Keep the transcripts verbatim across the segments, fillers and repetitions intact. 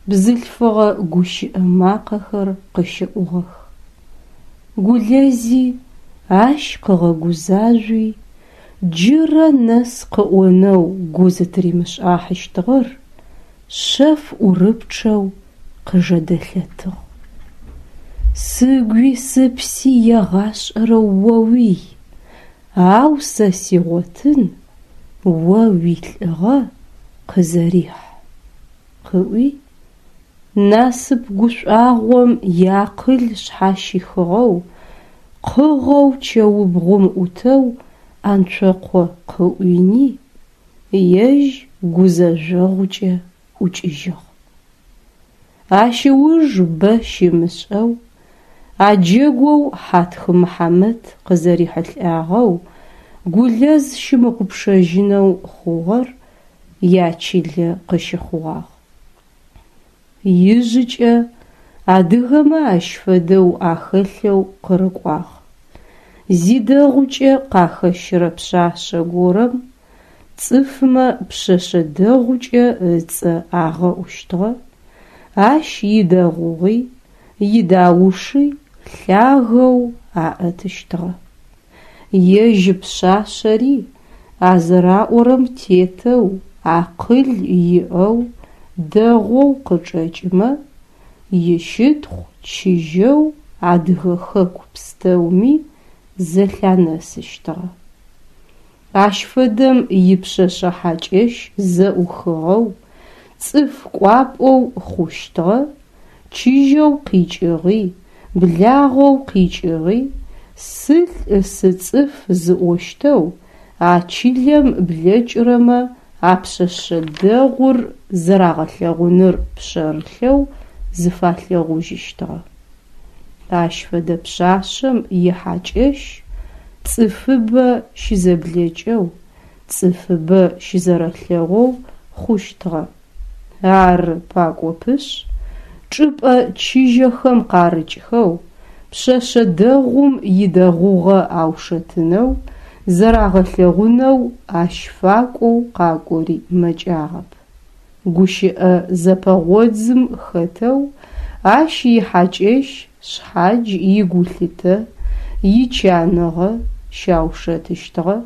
бзылъфыгъэ гущыӏэ макъэхэр къыщыӏугъэх. Гулэзи ащ къыгъэгузажъуи, джырэ нэс къыӏонэу гу зытыримышӏахьыщтыгъэр шъэф ӏурыпчъэу къыжэдэлъэтыгъ. Сыгуи сыпси егъашӏэрэ оуий, ау сэ сигъотын о уилӏыгъэ къызэрихь, къыӏуи, насып гушӏуагъом иакъыл шъхьащихыгъэу, къыгъэу чэубгъум ӏутэу Анцокъо къыӏуини, ежь гузэжъогъукӏэ ӏукӏыжьыгъ. Ащ ыуж бэ щымышӏэу, а джэгоу Хьатх Мыхьамэт къызэрихьылӏагъэу Гулэз щымыгъупшэжьынэу хъугъэр ячылэ къыщыхъугъагъ. Ижъыкӏэ адыгэмэ ащ фэдэу ахэлъэу къырыкӏуагъ. Зидэгъукӏэ къахэщырэ пшъашъэ горэм цӏыфмэ пшъэшъэ дэгъукӏэ ыцӏэ агъэӏущтыгъэ, ащ идэгъугъи, идауши лъагэу аӏэтыщтыгъэ. Ежь пшъашъэри а зэраӏорэм тетэу акъыл иӏэу дэгъоу къычӏэкӏымэ, ищытхъу чыжьэу адыгэ хэку пстэуми зэлъанэсыщтыгъэ. Ащ фэдэм ипшъэшъэ хьакӏэщ зэӏухыгъэу, цӏыф кӏуапӏэу хъущтыгъэ, чыжьэу къикӏыгъи, благъэу къикӏыгъи, сылӏ сыцӏыф зыӏощтэу а чылэм блэкӏырэмэ а пшъэшъэ дэгъур зэрагъэлъэгъуныр пшъэрылъэу зыфалъэгъужьыщтыгъэ. Ащ фэдэ пшъашъэм ихьакӏэщ цӏыфыбэ щызэблэкӏэу, цӏыфыбэ щызэрэлъэгъоу хъущтыгъэ. Ары пакӏопышъ, чӏыпӏэ чыжьэхэм къарыкӏхэу, пшъэшъэ дэгъум идэгъугъэ аушэтынэу, зэрагъэлъэгъунэу ащ факӏоу къакӏори мэкӏагъэп. Гущыӏэ зэпэгъодзым хэтэу ащ ихьакӏэщ шъхьадж игулъытэ, ичаныгъэ щаушэтыщтыгъэ.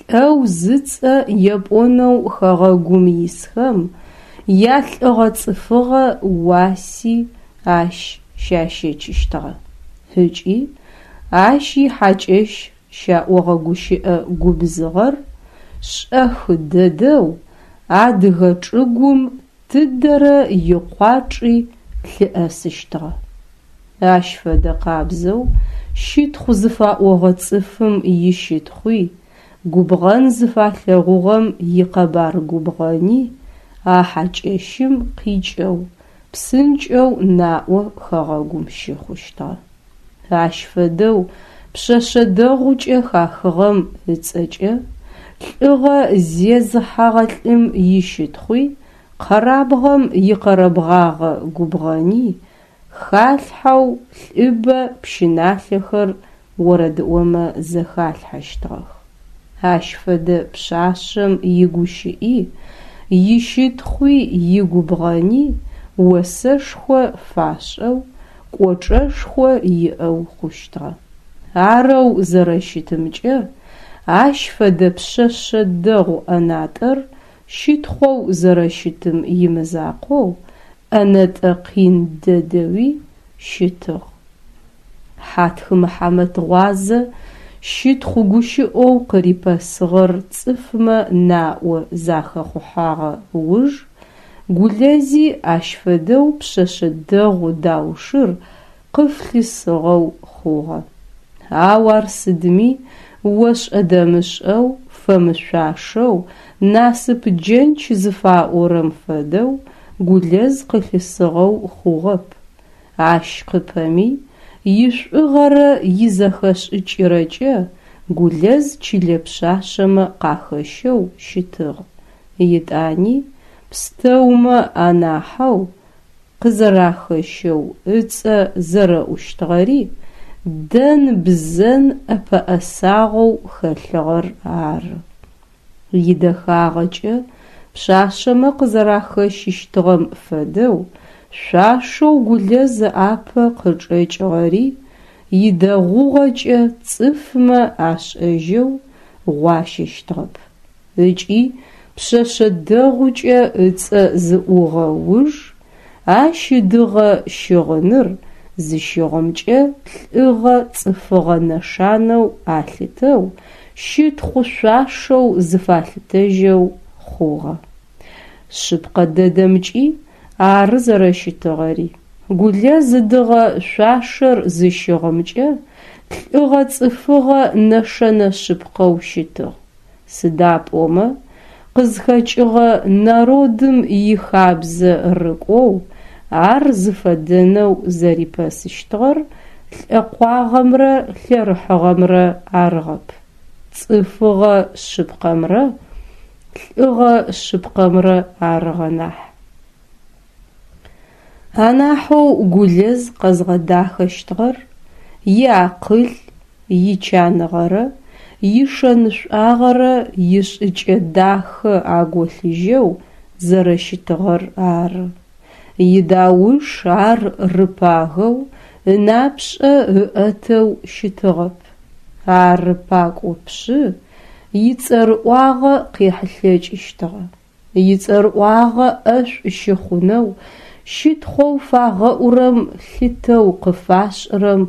Лӏэу зыцӏэ епӏонэу хэгъэгум исхэм ялӏыгъэ-цӏыфыгъэ уаси ащ щащэчыщтыгъэ. Ыкӏи ащ ихьакӏэщ щаӏогъэ гущыӏэ губзыгъэр шӏэх дэдэу адыгэ чӏыгум тыдэрэ икъуачӏи лъыӏэсыщтыгъэ. Ащ фэдэ къабзэу щытхъу зыфаӏогъэ цӏыфым ищытхъуи, губгъэн зыфалъэгъугъэм икъэбар губгъэни а хьакӏэщым къикӏэу, псынкӏэу наӏо хэгъэгум щыхъущтыгъэ. Ащ фэдэу пшъэшъэ дэгъукӏэ хахыгъэм ыцӏэкӏэ лӏыгъэ зезыхьэгъэ лӏым ищытхъуи, къэрабгъэм икъэрэбгъагъэ губгъэни халъхьэу лӏыбэ пщыналъэхэр орэдыӏомэ зэхалъхьэщтыгъэх. Ащ фэдэ пшъашъэм игущыӏи, ищытхъуи, игубгъэни осэшхо фашӏэу, кӏочӏэшхо иӏэу хъущтыгъэ. Арэу зэрэщытымкӏэ, ащ фэдэ пшъэшъэ дэгъу ӏэнатӏэр щытхъоу зэрэщытым имызакъоу, ӏэнэтӏэ къин дэдэуи щытыгъ. Хьатх Мыхьамэт гъуазэ щытхъу гущыӏэу къырипэсыгъэр цӏыфмэ наӏо захэхъухьагъэ уж Гулэзи ащ фэдэу пшъэшъэ дэгъу даушыр къыфлъысыгъэу хъугъэ. Ау ар сыдми ошӏэ-дэмышӏэу, фэмышъуашэу, насып джэнч зыфаӏорэм фэдэу Гулэз къылъысыгъэу хъугъэп. Ащ къыпэми ишӏугъэрэ изэхэшӏыкӏырэкӏэ Гулэз чылэ пшъашъэмэ къахэщэу щытыгъ. Етӏани пстэумэ анахьэу къызэрахэщэу ыцӏэ зэрэӏущтыгъэри дэн-бзэн ӏэпэӏэсагъэу хэлъыгъэр ары. Идэхагъэкӏэ Пшъашъэмэ къызэрахэщыщтыгъэм фэдэу, шъуашэу Гулэз ыӏапэ къычӏэкӏыгъэри идэгъугъэкӏэ цӏыфмэ ашӏэжьэу гъуащэщтыгъэп. Ыкӏи пшъэшъэ дэгъукӏэ ыцӏэ зыӏугъэ уж, ащ ыдыгъэ щыгъыныр зыщыгъымкӏэ лӏыгъэ цӏыфыгъэ нэшанэу алъытэу, щытхъу шъуашэу зыфалъытэжьэу хъугъэ. Шъыпкъэ дэдэмкӏи ары зэрэщытыгъэри. Гулэз ыдыгъэ шъуашэр зыщыгъымкӏэ лӏыгъэ цӏыфыгъэ нэшэнэ шъыпкъэу щытыгъ. Сыда пӏомэ къызхэкӏыгъэ народым ихабзэ рыкӏоу ар зыфэдэнэу зэрипэсыщтыгъэр лӏэкъуагъэмрэ лъэрыхьыгъэмрэ арыгъэп, цӏыфыгъэ шъыпкъэмрэ лӏыгъэ шъыпкъэмрэ арыгъэ нахь. Анахьэу Гулэз къэзгъэдахэщтыгъэр иакъыл, ичаныгъэрэ ишэнышӏуагъэрэ ишӏыкӏэ дахэ аголъыжьэу зэрэщытыгъэр ары. Идауш ар рыпагэу, ынапшӏэ ыӏэтэу щытыгъэп. Ары пакӏопшъы ицӏэрыӏуагъэ къехьылъэкӏыщтыгъэ. Ицӏэрыӏуагъэ ӏэшӏу щыхъунэу, щытхъоу фагъэӏурэм лъытэу къыфашӏырэм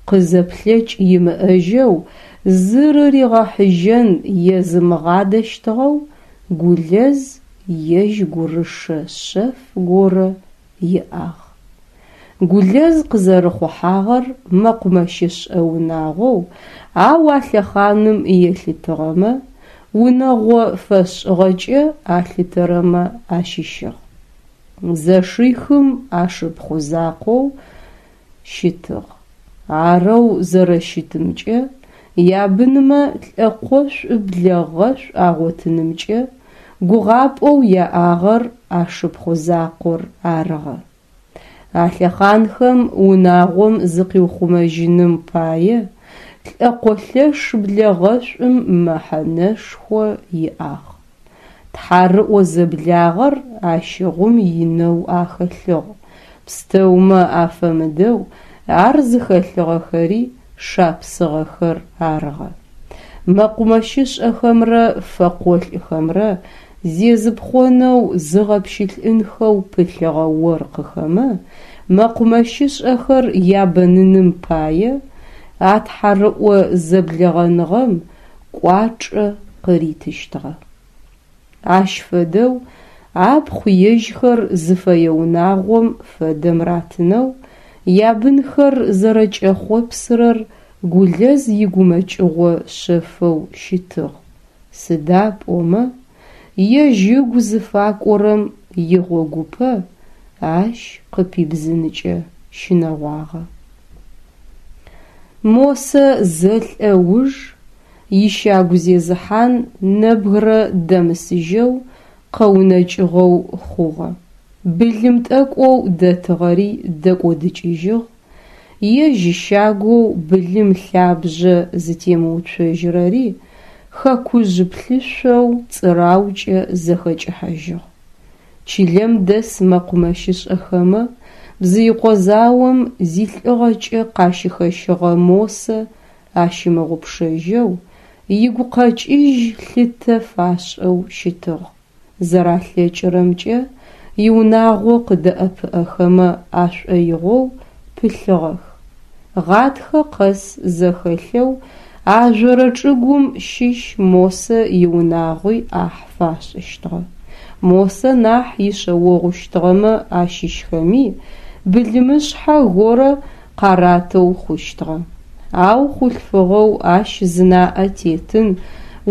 къызэплъэкӏ имыӏэжьэу зырыригъэхьыжьэн езымыгъадэщтыгъэу Гулэз ежь гурышэ шъэф горэ иӏагъ. Гулэз къызэрыхъухьагъэр мэкъумэщышӏэ унагъоу, ау а лъэхъаным елъытыгъэмэ, унэгъо фэшӏыгъэкӏэ алъытэрэмэ ащыщыгъ. Зэшихым ашыпхъу закъоу щытыгъ. Арэу зэрэщытымкӏэ ябынмэ лӏэкъошӏу блэгъэшӏу агъотынымкӏэ гугъапӏэу яӏагъэр ашыпхъу закъор арыгъэ. А лъэхъанхэм унагъом зыкъиухъумэжьыным пае лӏэкъолъэш блэгъэшӏум мэхьанэшхо иӏагъ. Тхьарыӏо зэблагъэр ащыгъум инэу ахэлъыгъ, пстэумэ афэмыдэу ар зыхэлъыгъэхэри шапсыгъэхэр арыгъэ. Мэкъумэщышӏэхэмрэ фэкъолӏхэмрэ зезыпхъонэу зыгъэпщылӏынхэу пылъыгъэ оркъыхэмэ мэкъумэщышӏэхэр ябэныным пае а тхьарыӏо зэблэгъэныгъэм кӏуачӏэ къыритыщтыгъэ. Ащ фэдэу апхъу ежьхэр зыфэе унагъом фэдэм ратынэу ябынхэр зэрэкӏэхъопсырэр Гулэз игумэкӏыгъо шъэфэу щытыгъ, сыда пӏомэ ежь ыгу зыфакӏорэм игъогупэ ащ къыпибзынкӏэ щынэгъуагъэ. Мосэ зэлӏэ уж ищагу зезыхьан нэбгырэ дэмысыжьэу къэунэкӏыгъэу хъугъэ. Былым тӏэкӏоу дэтыгъэри дэкӏодыкӏыжьыгъ, ежь щагоу былым лъабжъэ зытемыуцожьырэри хэкужъ плъышъоу цӏыраукӏэ зэхэкӏыхьэжьыгъ. Чылэм дэс мэкъумэщышӏэхэмэ Бзыикъо заом зилӏыгъэкӏэ къащыхэщыгъэ Мосэ ащымыгъупшэжьэу, игукъэкӏыжь лъытэ фашӏэу щытыгъ, зэралъэкӏырэмкӏэ иунагъо къыдэӏэпыӏэхэмэ ашӏоигъоу пылъыгъэх. Гъатхэ къэс зэхэлъэу ажъорэ чӏыгум щыщ Мосэ иунагъуи ӏахь фашӏыщтыгъэ. Мосэ нахь ишъэогъущтыгъэмэ ащыщхэми былымышъхьэ горэ къаратэу хъущтыгъэ. Ау хъулъфыгъэу ащ зынаӏэ тетын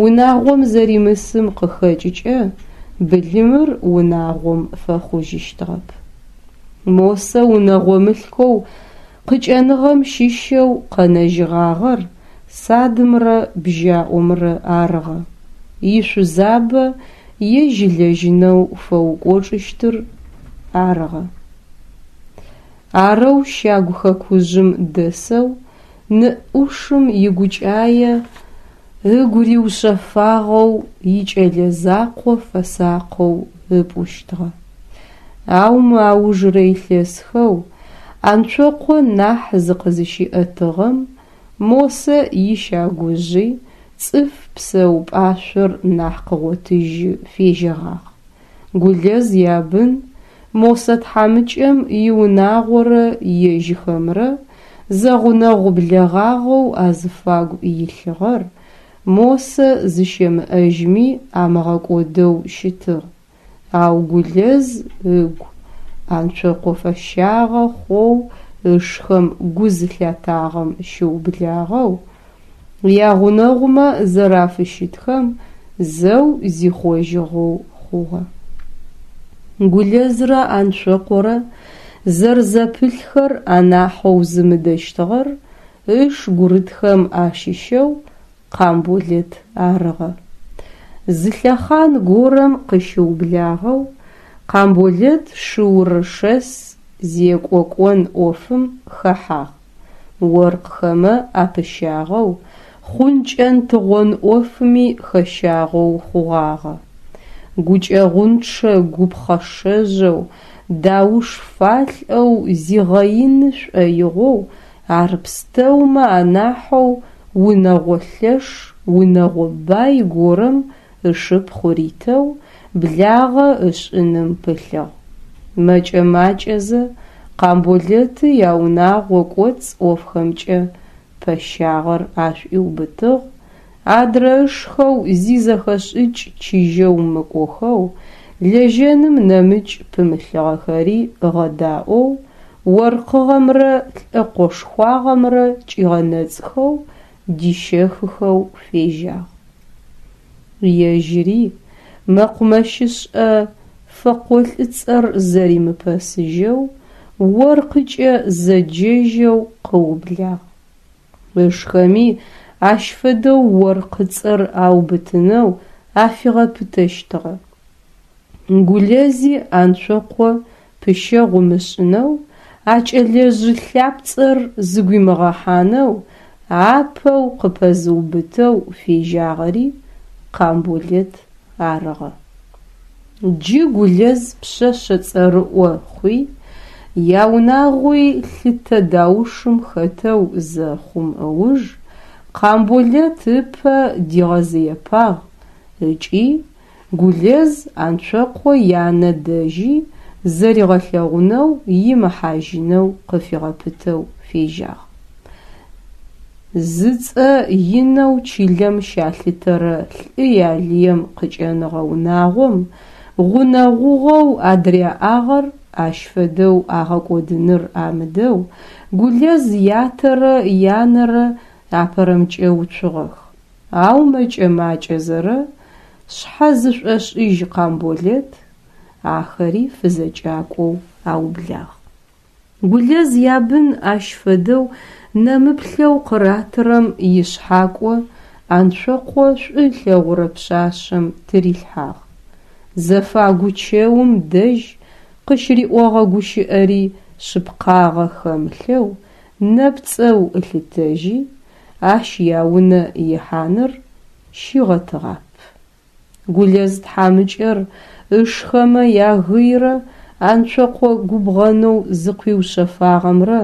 унагъом зэримысым къыхэкӏыкӏэ былымыр унагъом фэхъужьыщтыгъэп. Мосэ унэгъо мылъкоу къыкӏэныгъэм щыщэу къэнэжьыгъагъэр садымрэ бжьаӏомрэ арыгъэ. Ишъузабэ ежь ылэжьынэу фэукӏочӏыщтыр арыгъэ. Арэу щагу хэкужъым дэсэу ны ӏушым игукӏае Ыгу риушъэфагъэу, икӏэлэ закъо фэсакъэу ыпӏущтыгъэ. Ау мы аужырэ илъэсхэу Анцокъо нахь зыкъызыщиӏэтыгъэм Мосэ ищагужъи цӏыф псэупӏашъор нахь къыгъотыжьы фежьэгъагъ. Гулэз ябын Мосэ тхьамыкӏэм иунагъорэ ежьхэмрэ зэгъунэгъу блэгъагъэу азыфагу илъыгъэр Мосэ зыщэмыӏэжьми амыгъэкӏодэу щытыгъ, ау Гулэз ыгу Анцокъо фэщагъэ хъоу ышхэм гу зылъатагъэм щыублагъэу ягъунэгъумэ зэрафыщытхэм зэу зихъожьыгъэу хъугъэ. Гулэзрэ Анцокъорэ зэрзэпылъхэр анахьэу зымыдэщтыгъэр ыш гурытхэм ащыщэу Къамболэт арыгъэ. Зы лъэхъан горэм къыщыублагъэу Къамболэт шыурышэс зекӏо кӏон ӏофым хэхьагъ, оркъхэмэ апыщагъэу, хъункӏэн-тыгъон ӏофми хэщагъэу хъугъагъэ. Гукӏэгъунчъэ-гу пхъэшэжъэу, дауш фалӏэу зигъэины шӏоигъоу, ар пстэумэ анахьэу унэгъо лъэш, унэгъо бай горэм ышыпхъу ритэу благъэ ышӏыным пылъыгъ. Мэкӏэ-макӏэзэ Къамболэты яунагъо кӏоцӏ ӏофхэмкӏэ пэщагъэр ашӏуиубытыгъ, адрэ ышхэу зи зэхэшӏыкӏ чыжьэу мыкӏохэу, лэжьэным нэмыкӏ пымылъыгъэхэри ыгъэдаӏоу, оркъыгъэмрэ лӏэкъошхуагъэмрэ кӏигъэнэцӏхэу, дищэхыхэу фежьагъ. Ежьыри мэкъумэщышӏэ фэкъолӏыцӏэр зэримыпэсыжьэу, оркъыкӏэ зэджэжьэу къыублагъ. Ышхэми ащ фэдэу оркъыцӏэр аубытынэу афигъэпытэщтыгъэ. Гулэзи Анцокъо пыщэгъу ымышӏынэу, а кӏэлэжъы лъапцӏэр зыгуимыгъэхьанэу апэу къыпэзыубытэу фежьагъэри Къамболэт арыгъэ. Джы Гулэз пшъэшъэ цӏэрыӏо хъуи, яунагъуи лъытэ даушым хэтэу зэхъум ыуж Къамболэт ыпэ дигъэзыепагъ ыкӏи Гулэз Анцокъо янэ дэжьи зэригъэлъэгъунэу имыхьажьынэу къыфигъэпытэу фежьагъ. Зыцӏэ инэу чылэм щалъытэрэ лӏы ялыем къыкӏэныгъэ унагъом гъунэгъугъэу адыряӏагъэр ащ фэдэу агъэкӏодыныр амыдэу Гулэз ятэрэ янэрэ апэрэмкӏэ уцугъэх, ау мэкӏэ-макӏэзэрэ шъхьэзышӏошӏыжь Къамболэт ахэри фызэкӏакӏоу аублагъ. Гулэз ябын ащ фэдэу нэмыплъэу къыратырэм ишъхьакӏо Анцокъо шӏу ылъэгъурэ пшъашъэм тырилъхьагъ. Зэфагу чэум дэжь къыщыриӏогъэ гущыӏэри шъыпкъагъэ хэмылъэу нэпцӏэу ылъытэжьи, ащ яунэ ихьаныр щигъэтыгъап. Гулэз тхьамыкӏэр ышхэмэ ягыйрэ Анцокъо губгъэнэу зыкъуиушъэфагъэмрэ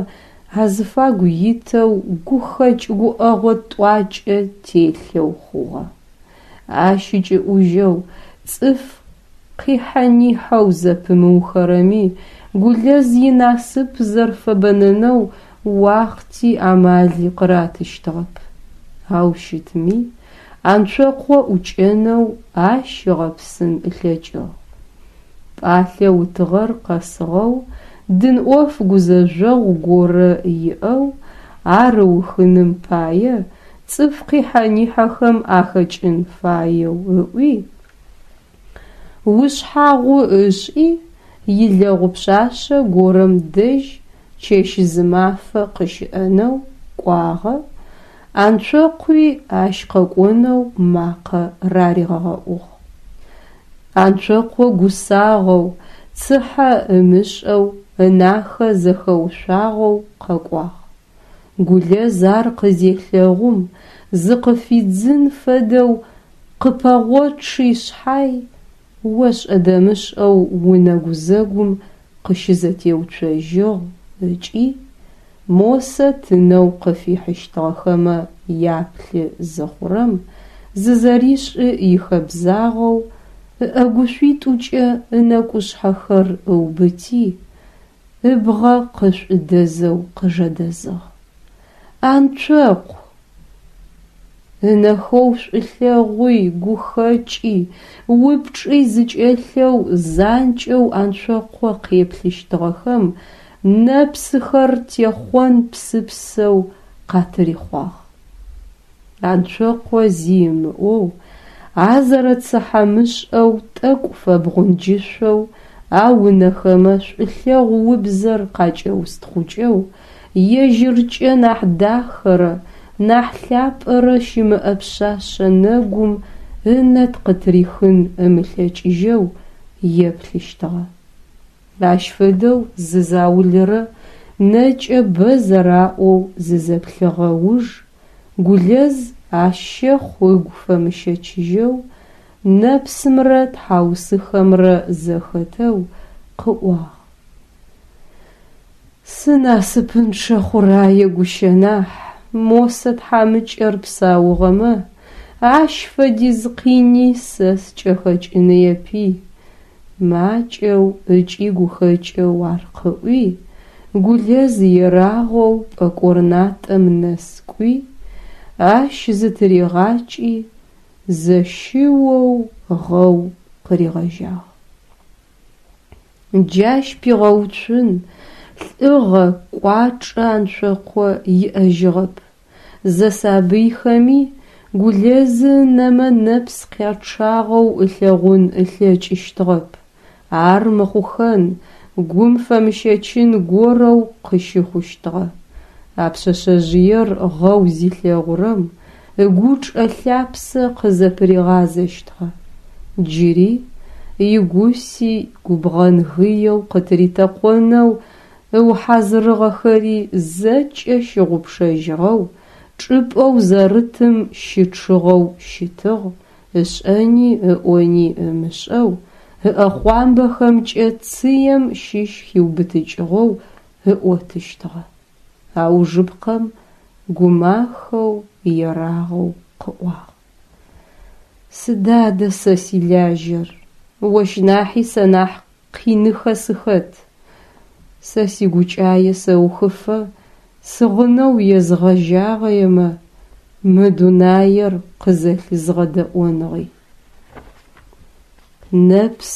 азыфагу итэу гухэкӏ гуӏэгъо тӏуакӏэ телъэу хъугъэ. Ащ ыкӏыӏужьэу цӏыф къихьэ-нихьэу зэпымыухэрэми Гулэз инасып зэрфэбэнэнэу уахъти амали къыратыщтыгъэп. Ау щытми, Анцокъо ӏукӏэнэу ащ ыгъэпсын ылъэкӏыгъ. Пӏалъэ утыгъэр къэсыгъэу, дын ӏоф гузэжъогъу горэ иӏэу, ар ыухыным пае цӏыф къихьэ-нихьэхэм ахэкӏын фаеу ыӏуи, ушъхьагъу ышӏи, илэгъу пшъашъэ горэм дэжь чэщ-зымафэ къыщыӏэнэу кӏуагъэ, Анцокъуи ащ къэкӏонэу макъэ раригъэӏугъ. Анцокъо гусагъэу, цыхьэ ымышӏэу, ынахэ зэхэушъуагъэу къэкӏуагъ. Гулэз ар къызелъэгъум, зыкъыфидзын фэдэу къыпэгъочъи шъхьай, ошӏэ-дэмышӏэу унэ гузэгум къыщызэтеуцожьыгъ ыкӏи, Мосэ тынэу къыфихьыщтыгъэхэмэ яплъы зыхъурэм зызэришӏы ихэбзагъэу, ыӏэгушъуитӏукӏэ ынэкӏушъхьэхэр ыубыти, ыбгъэ къышӏудэзэу къыжэдэзыгъ: «Анцокъу!» Ынэхэу шӏулъэгъуи, гухэкӏи, упчӏи зыкӏэлъэу занкӏэу Анцокъо къеплъыщтыгъэхэм нэпсыхэр техъон псыпсэу къатырихъуагъ. Анцокъо зи ымыӏоу, а зэрэцыхьэмышӏэу тӏэкӏу фэбгъунджышъоу, ау ынэхэмэ шӏулъэгъу убзэр къакӏэустхъукӏэу, ежьыркӏэ нахь дахэрэ, нахь лъапӏэрэ щымыӏэ пшъашъэ нэгум ынэ къытырихын ымылъэкӏыжьэу еплъыщтыгъэ. Ащ фэдэу зы заулэрэ нэкӏэ бэ зэраӏоу зызэплъыгъэ уж, Гулэз ащ щэхъу ыгу фэмыщэчыжьэу, нэпсымрэ тхьаусыхэмрэ зэхэтэу къыӏуагъ: «Сынасыпынчъэ хъурае гущэ нахь, Мосэ тхьамыкӏэр псаугъэмэ, ащ фэдиз къини сэ скӏэхэкӏыныепи», макӏэу ыкӏи гухэкӏэу ар къыӏуи, Гулэз ерагъэу пӏэкӏор натӏэм нэс кӏуи, ащ зытыригъакӏи, зэщыоу гъэу къыригъэжьагъ. Джащ пигъэуцун лӏыгъэ, кӏуачӏэ Анцокъо иӏэжьыгъэп. Зэсабыйхэми Гулэзы ынэмэ нэпс къячъагъэу ылъэгъун ылъэкӏыщтыгъэп. Ар мыхъухэн, гум фэмыщэчын горэу къыщыхъущтыгъэ. А пшъэшъэжъыер гъэу зилъэгъурэм ыгучӏэ лъапсэ къызэпыригъазэщтыгъэ. Джыри игуси губгъэн-гыеу къытыритэкъонэу ыухьазырыгъэхэри зэкӏэ щыгъупшэжьыгъэу, чӏыпӏэу зэрытым щычъыгъэу щытыгъ, ышӏэни ыӏони ымышӏэу, ыӏэхъуамбэхэмкӏэ цыем щыщ хиубытыкӏыгъэу ыӏотыщтыгъэ. Аужыпкъэм гумахэу, ерагъэу къыӏуагъ: «Сыда адэ сэ силажьэр, ощ нахьи сэ нахь къиныхэ сыхэт. Сэ сигукӏае сэухыфэ сыгъынэу езгъэжьагъэемэ, мы дунаер къызэлъызгъэдэӏоныгъи». Нэпс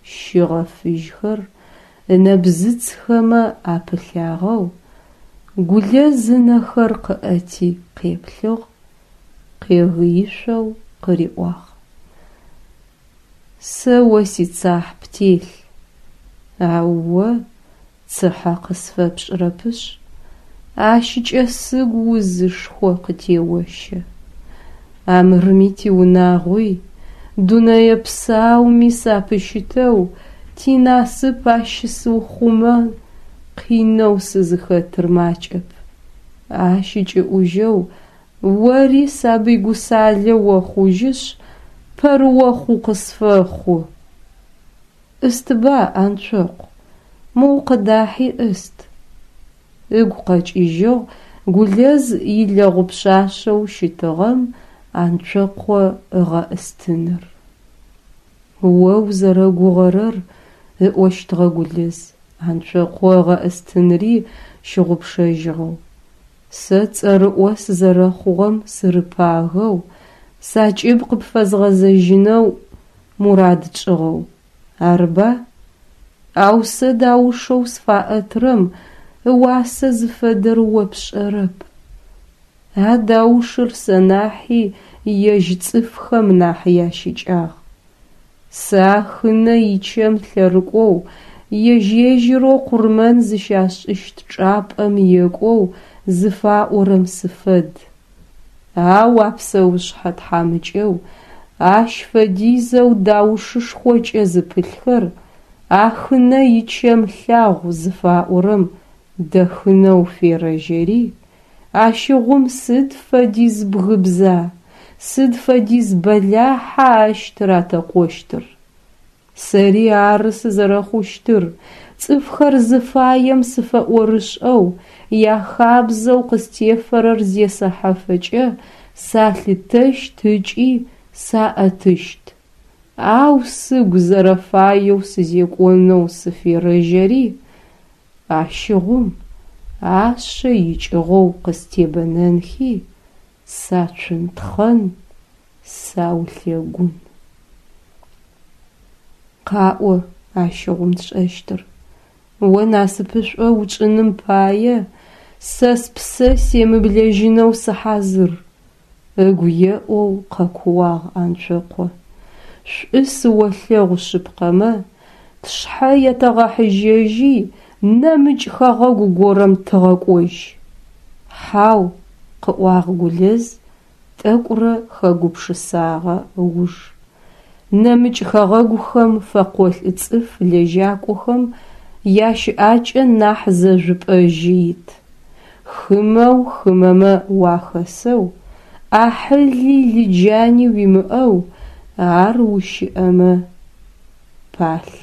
щыгъэ фыжьхэр ынэбзыцхэмэ апылъагъэу, Гулэз ынэхэр къыӏэти къеплъыгъ, къегыишъоу къыриӏуагъ: «Сэ о сицахь птелъ, ау о цыхьэ къысфэпшӏырэпышъ, ащкӏэ сыгу узышхо къытеощэ. Амырми тиунагъуи, дунэе псауми сапыщытэу тинасып ащысыухъумэн къинэу сызыхэтыр макӏэп. Ащ ыкӏыӏужьэу ори сабый гусалэ охъужьышъ, пэрыохъу укъысфэхъу. Ӏыстба, Анцокъу, моу къыдахьи ӏыст», ыгу къэкӏыжьыгъ Гулэз илэгъу пшъашъэу щытыгъэм Анцокъо ыгъэӏыстыныр. О узэрэгугъэрэр, ыӏощтыгъэ Гулэз, Анцокъо ыгъэӏыстынри щыгъупшэжьыгъэу. Сэ цӏэрыӏо сызэрэхъугъэм сырыпагэу, сакӏыб къыпфэзгъэзэжьынэу мурад тшӏыгъэу, арыба? Ау сэ даушэу сфаӏэтырэм ыуасэ зыфэдэр о пшӏэрэп. А даушыр сэ нахьи ежь цӏыфхэм нахь ящыкӏагъ. Сэ Ахынэ ичэм лъэрыкӏоу, ежь-ежьырэу къурмэн зыщашӏыщт чӏапӏэм екӏоу зыфаӏорэм сыфэд. Ау а псэушъхьэ тхьамыкӏэу ащ фэдизэу даушышхокӏэ зыпылъхэр Ахынэ ичэм лъагъу зыфаӏорэм дэхынэу ферэжьэри, Ащыгъум сыд фэдиз бгыбза, сыд фэдиз бэлахьа ащ тыратэкъощтыр? Сэри ары сызэрэхъущтыр, цӏыфхэр зыфаем сыфэӏорышӏэу, яхабзэу къыстефэрэр зесэхьэфэкӏэ салъытэщт ыкӏи саӏэтыщт, ау сыгу зэрэфаеу сызекӏонэу сыферэжьэри, ащыгъум ашъэ икӏыгъэу къыстебэнэнхи, сацунтхъэн, саулъэгун. Къаӏо ащыгъум тшӏэщтыр. О насыпышӏо учӏыным пае сэ спсэ семыблэжьынэу сыхьазыр, ыгу еӏоу къэкууагъ Анцокъо. Шӏу сыолъэгъу шъыпкъэмэ, тшъхьэ етэгъэхьыжьэжьи нэмыкӏ хэгъэгу горэм тыгъэкӏожь. Хьау, къыӏуагъ Гулэз, тӏэкӏурэ хэгупшысагъэ ыуж. Нэмыкӏ хэгъэгухэм фэкъолӏ цӏыф лэжьакӏохэм ящыӏакӏэ нахь зэжъупӏэжьы ит. Хымэу хымэмэ уахэсэу, ӏахьыли лыджани уимыӏэу ар ущыӏэмэ палъ.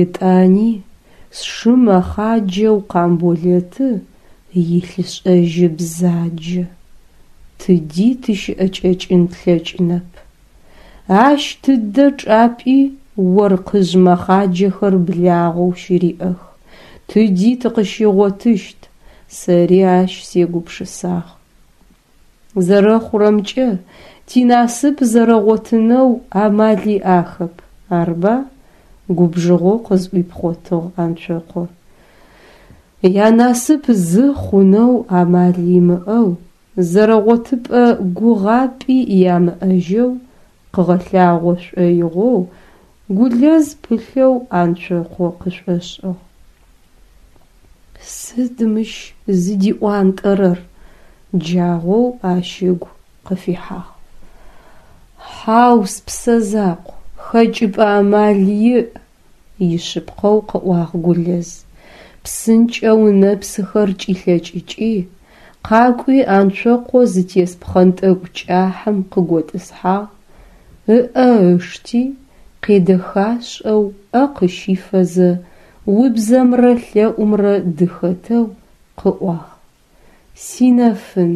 Етӏани сшы мэхъаджэу Къамболэты илъышӏэжьы бзаджэ. Тыди тыщыӏэкӏэкӏын тлъэкӏынэп. Ащ тыдэ чӏапӏи оркъыжъ мэхъаджэхэр благъэу щыриӏэх, тыди тыкъыщигъотыщт, сэри ащ сегупшысагъ. Зэрэхъурэмкӏэ, тинасып зэрэгъотынэу амал иӏахэп, арба? Губжыгъэу къызӏуипхъотыгъ Анцокъо. Янасып зы хъунэу амал имыӏэу, зэрэгъотыпӏэ гугъапӏи ямыӏэжьэу къыгъэлъагъо шӏоигъоу Гулэз пылъэу Анцокъо къышӏошӏыгъ. Сыд мыщ зыдиӏуантӏэрэр? Джагъоу ащ ыгу къыфихьагъ. Хьау, спсэ закъу, хэкӏыпӏэ амал иӏ, ишъыпкъэу къыӏуагъ Гулэз. Псынкӏэу ынэпсыхэр кӏилъэкӏыкӏи, къакӏуи Анцокъо зытес пхъэнтӏэкӏу кӏахьым къыготӏысхьагъ, ыӏэ ышти, къедэхашӏэу ӏэ къыщифэзэ, убзэмрэ лъэӏумрэ дыхэтэу къыӏуагъ: Синэфын,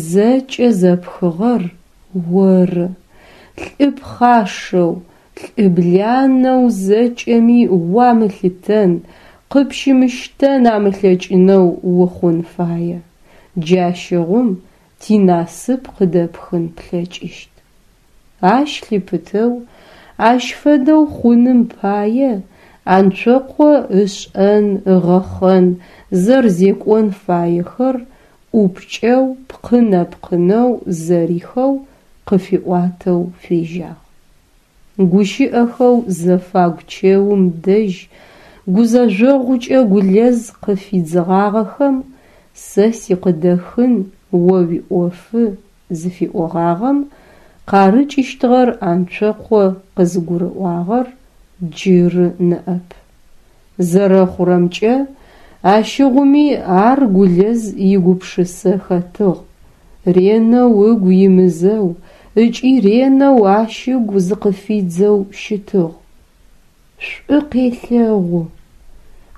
зэкӏэ зэпхыгъэр оры, лӏы пхъашэу, лӏы бланэу зэкӏэми уамылъытэн, къыпщымыщтэн амылъэкӏынэу ухъун фае. Джащыгъум тинасып къыдэпхын плъэкӏыщт. Ащ лъыпытэу, ащ фэдэу хъуным пае Анцокъо ышӏэн, ыгъэхъэн, зэрзекӏон фаехэр ӏупкӏэу, пкъынэ-пкъынэу зэрихэу къыфиӏуатэу фежьагъ. Гущыӏэхэу зэфагу чэум дэжь гузэжъогъукӏэ Гулэз къыфидзыгъагъэхэм «Сэ сикъыдэхын о уиӏофы» зыфиӏогъагъэм къарыкӏыщтыгъэр Анцокъо къызыгурыӏуагъэр джыры ныӏэп. Зэрэхъурэмкӏэ, ащыгъуми ар Гулэз игупшысэ хэтыгъ, ренэу ыгу имызэу ыкӏи ренэу ащ ыгу зыкъыфидзэу щытыгъ. Шӏу къелъэгъу.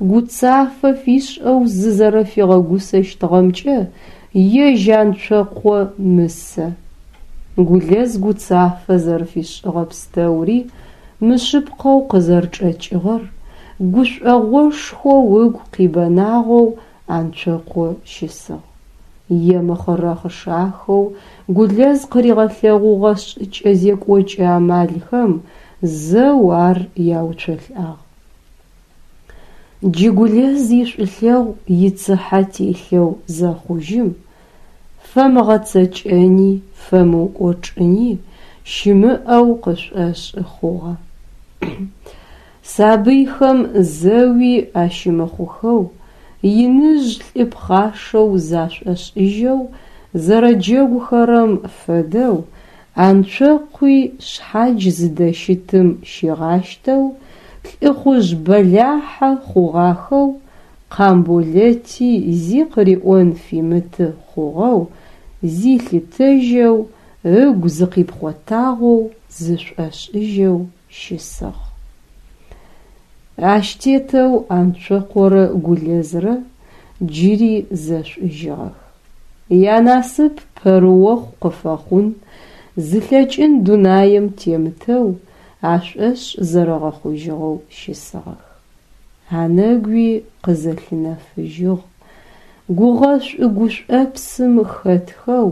Гуцафэ фишӏэу зызэрэфигъэгусэщтыгъэмкӏэ ежь Анцокъо мысэ. Гулэз гуцафэ зэрэфишӏыгъэ пстэури мышъыпкъэу къызэрчӏэкӏыгъэр гушӏогъошхоу ыгу къибэнагъэу Анцокъо щысыгъ. Емыхъырэхъышахэу Гулэз къыригъэлъэгъугъэ шӏыкӏэ-зекӏокӏэ амалхэм зэу ар яуцолӏагъ. Джы Гулэз ишӏулъэгъу ицыхьэ телъэу зэхъужьым, фэмыгъэцэкӏэни, фэмыукӏочӏыни щымыӏэу къышӏошӏы хъугъэ. Сабыйхэм зэуи ащымыхъухэу, иныжъ лӏы пхъашэу зашӏошӏыжьэу зэрэджэгухэрэм фэдэу Анцокъуи шъхьадж зыдэщытым щигъащтэу, лӏыхъужъ бэлахьэ хъугъахэу Къамболэти зи къыриӏон фимыты хъугъэу зилъытэжьэу, ыгу зыкъипхъотагъэу зышӏошӏыжьэу щысыгъ. Ащ тетэу Анцокъорэ Гулэзрэ джыри зэшӏужьыгъэх. Янасып пэрыохъу къыфэхъун зылъэкӏын дунаим темытэу ашӏошъ зэрэгъэхъужьыгъэу щысыгъэх. Анэгуи къызэлъынэфыжьыгъ, гугъэшӏу-гушӏопсым хэтхэу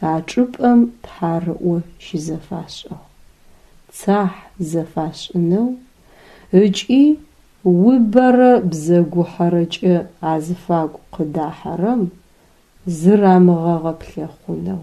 а чӏыпӏэм тхьарыӏо щызэфашӏыгъ, цахь зэфашӏынэу ыкӏи убэрэ бзэгухьэрэкӏэ азыфагу къыдахьэрэм зырамыгъэгъэплъэхъунэу.